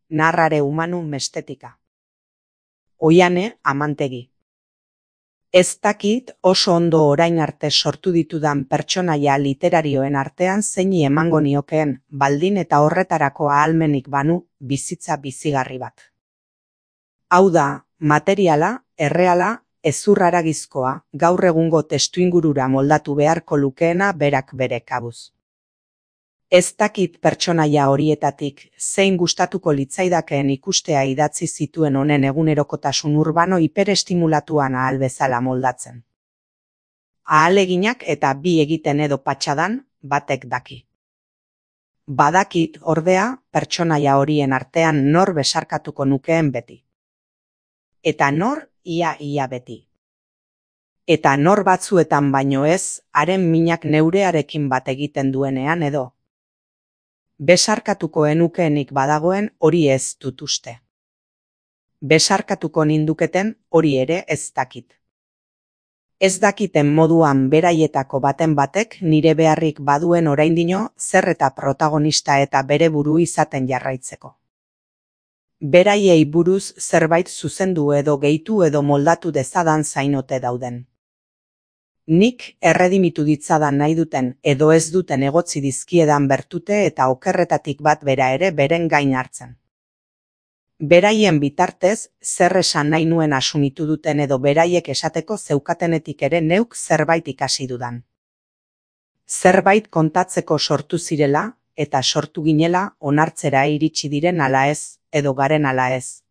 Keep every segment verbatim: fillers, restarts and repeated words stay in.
narrare humanu mestetika. Oiane Amantegi. Ez dakit oso ondo orain arte sortu ditudan pertsonaia literarioen artean zeini emango niokeen, baldin eta horretarako ahalmenik banu, bizitza bizigarri bat. Hau da, materiala, erreala, hezurraragizkoa, gaur egungo testuingurura moldatu beharko lukeena berak bere kabuz. Ez dakit pertsonaia horietatik zein gustatuko litzaidakeen ikustea idatzi zituen honen egunerokotasun urbano hiperestimulatuan ahal bezala moldatzen. Ahaleginak eta bi egiten edo patxadan, batek daki. Badakit, ordea, pertsonaia horien artean nor besarkatuko nukeen beti. Eta nor ia-ia beti. Eta nor batzuetan baino ez, haren minak neurearekin bat egiten duenean edo. Besarkatuko enukeenik badagoen hori ez dut uste. Besarkatuko ninduketen hori ere ez dakit. Ez dakiten moduan beraietako baten batek nire beharrik baduen oraindino zer eta protagonista eta bere buru izaten jarraitzeko. Beraiei buruz zerbait zuzendu edo gehitu edo moldatu dezadan zainote dauden. Nik erredimitu ditzadan nahi duten edo ez duten egotzi dizkiedan bertute eta okerretatik bat bera ere beren gain hartzen. Beraien bitartez, zer esan nahi nuen asumitu duten edo beraiek esateko zeukatenetik ere neuk zerbait ikasi dudan. Zerbait kontatzeko sortu zirela eta sortu ginela onartzera iritsi diren ala ez, edo garen ala ez.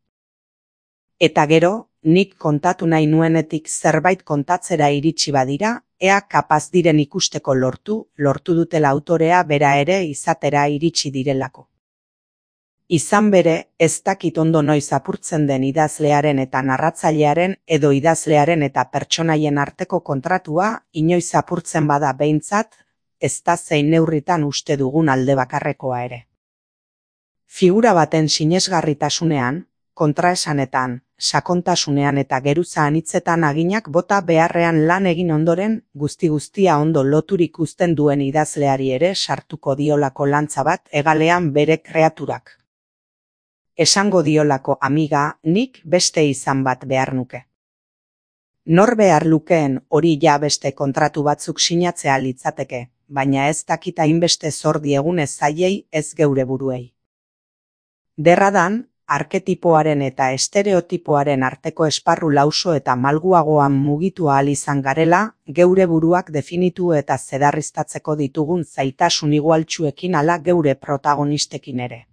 Eta gero, nik kontatu nahi nuenetik zerbait kontatzera iritsi badira, ea kapaz diren ikusteko lortu, lortu dutela autorea bera ere izatera iritsi direlako. Izan bere, ez dakit ondo noiz apurtzen den idazlearen eta narratzailearen edo idazlearen eta pertsonaien arteko kontratua inoiz apurtzen bada behintzat, ez da zein neurritan uste dugun alde bakarrekoa ere. Figura baten sinesgarritasunean, kontraesanetan, sakontasunean eta geruza anitzetan aginak bota beharrean lan egin ondoren, guzti-guztia ondo loturik uzten duen idazleari ere sartuko diolako lantza bat hegalean bere kreaturak. Esango diolako amiga, nik beste izan bat behar nuke. Nor behar lukeen hori ja beste kontratu batzuk sinatzea litzateke, baina ez dakita hainbeste zor diegun ez zaiei ez geure buruei. Derradan, arketipoaren eta estereotipoaren arteko esparru lauso eta malguagoan mugitu ahal izan garela, geure buruak definitu eta zedarriztatzeko ditugun zaitasun igualtsuekin ala geure protagonistekin ere.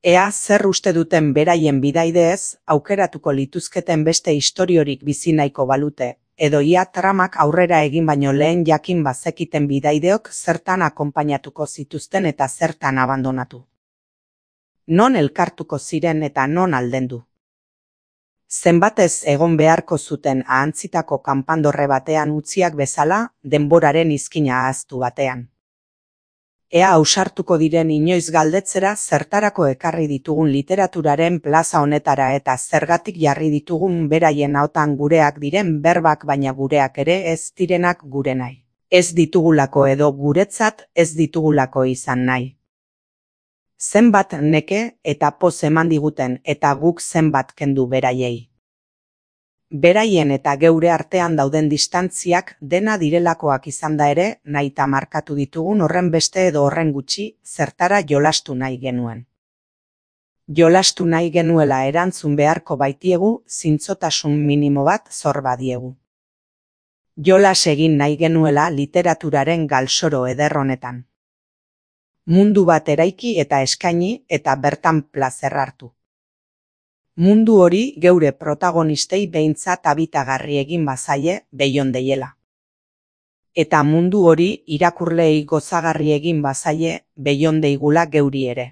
Ea zer uste duten beraien bidaideez, aukeratuko lituzketen beste istoriorik bizi nahiko balute, edo ia tramak aurrera egin baino lehen jakin bazekiten bidaideok zertan akonpainatuko zituzten eta zertan abandonatu. Non elkartuko ziren eta non aldendu. Zenbatez egon beharko zuten ahantzitako kanpandorre batean utziak bezala, denboraren izkina ahaztu batean. Ea ausartuko diren inoiz galdetzera zertarako ekarri ditugun literaturaren plaza honetara eta zergatik jarri ditugun beraien ahotan gureak diren berbak baina gureak ere ez direnak gure nahi. Ez ditugulako edo guretzat ez ditugulako izan nahi. Zenbat neke eta poz eman diguten eta guk zenbat kendu beraiei. Beraien eta geure artean dauden distantziak dena direlakoak izan da ere, nahita markatu ditugun horren beste edo horren gutxi, zertara jolastu nahi genuen. Jolastu nahi genuela erantzun beharko baitiegu, zintzotasun minimo bat zor badiegu. Jolas egin nahi genuela literaturaren galsoro eder honetan. Mundu bat eraiki eta eskaini eta bertan plazer hartu. Mundu hori geure protagonistei behintzat habitagarri egin bazaie beion deiela. Eta mundu hori irakurleei gozagarri egin bazaie beion deigula geuri ere.